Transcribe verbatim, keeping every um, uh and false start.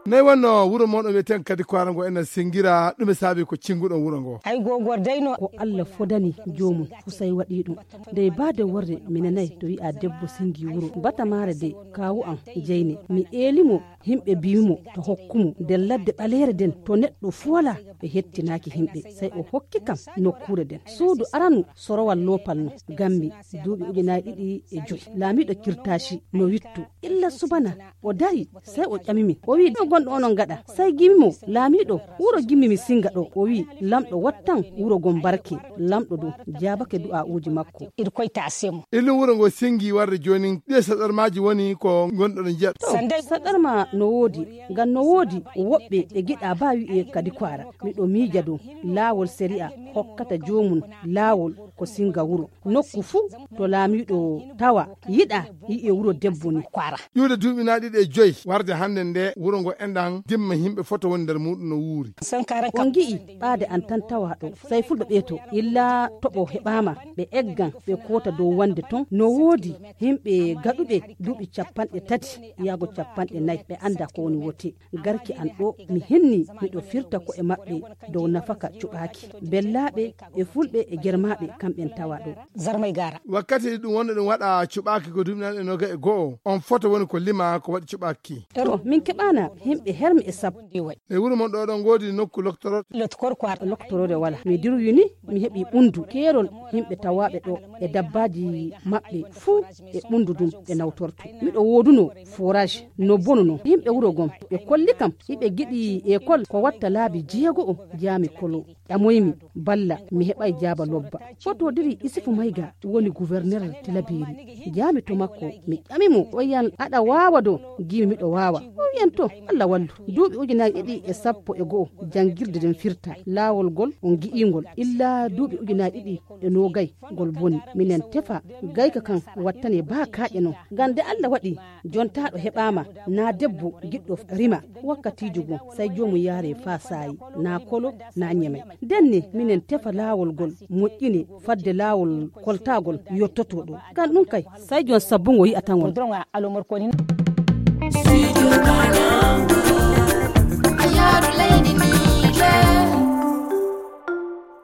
Nayi wonno wuro mon o wiyeten kadi koara ngo ena singira ɗume saabi ko cinguɗon wuro ngo? Ay gogor dayno. Ko Allah fodani joomum fusay waɗi ɗum. Dey baade worre mi nanay to wi'a debbo singi wuro batamaare de kawu am jeyne mi eelimo. Himɓe mbi'imo to hokkumo nder ladde ɓaleere nden to neɗɗo fuwala ɓe hettinaaki himɓe. Sey o hokki kam nokkuure nden suudu aranu sorowal loopal no gammi duuɓi ujunaaji ɗiɗi e joyi. Laamiiɗo kirtaaci no wittu illa subana o dari sey o ƴami min o wi'i ɗo gonɗo onon ngaɗa? Sey gimimo laamiiɗo wuro gimmi mi singa ɗo. O wi'i lamɗo wattan wuro gon barke. Lamɗo du jaabake du'aa'uuji makko. Irkoy taasemo. Illum wuro ngo singi warde joonin ɗiye saɗarmaaji woni ko ngonɗoɗo njiya ɗo? Saɗarma no woodi ngam no woodi woɓɓe ɓe giɗa ba wi'e kadi ko ara miɗo miija dow laawol sari'a hokkata joomum laawol ko singa wuro nokku fuu to laamiiɗo tawa yiɗa yi'e wuro debbo ni. Ko ara ƴuude duuɓi na ɗiɗi e joyi warde hannde nde wuro ngo enɗan dimma yimɓe foto woni nder muɗum no wuuri. On ngi'i ɓaade an tan tawa ɗo sey fulɓe ɓeeto illa toɓo heɓaama ɓe eggan ɓe koota dow wonde ton no woodi yimɓe gaɗuɓe duuɓi capanɗe tati yaago capanɗe nayi ɓe annda ko woni wote. Garki an ɗo mi hinni miɗo firta ko'e maɓɓe dow nafaka cuɓaaki bellaaɓe e fulɓe e germaaɓe kamɓen tawa ɗo. Zarmay gara wakkati ɗum wonno ɗum waɗa cuɓaaki ko duuɓi nanɗe noga e go'o on foto woni ko lima ko waɗi cuɓaaki. To min keɓana yimɓe hermi e sappo. E wuro mon ɗo ɗon ngoodi nokku loktoro? Lotkor ko ar loktoroore wala mi dirwini mi heɓi ɓundu keerol yimɓe tawaaɓe ɗo e dabbaaji maɓɓe fuu e ɓundu dum ɓe nawtorto. Miɗo wooduno forage no bonuno yimɓe wuro gom ɓe kolli kam hiɓe giɗi ekol ko watta laabi jeego'o jaami kolo ƴamoymi balla mi heɓay jaaba lobba. Fotodiri isifu mayga woni guverner tilabeeri. Jaami to makko mi ƴami mo o yiyan aɗa waawa do? Giimi miɗo waawa. O wiyan to allah wallu. Duuɓi ujunaaji ɗiɗi e sappo e go'o janngirde nden firta laawol ngol on gi'ingol illa duuɓi ujunaaji ɗiɗi e noogay ngol boni. Minen tefa gayka kan wattane baa kaaƴe non. Ngam nde allah waɗi jontaaɗo heɓaama naa debbo giɗɗo rima wakkatiijo goo sey joomum yaare faa saayi naa kolo naa ñemay. Ndenne minen tefa laawol ngol moƴƴine fadde laawol koltaagol yottotoo ɗo. Ngam ɗum kay sey joom sabbungo yi'ata ngol.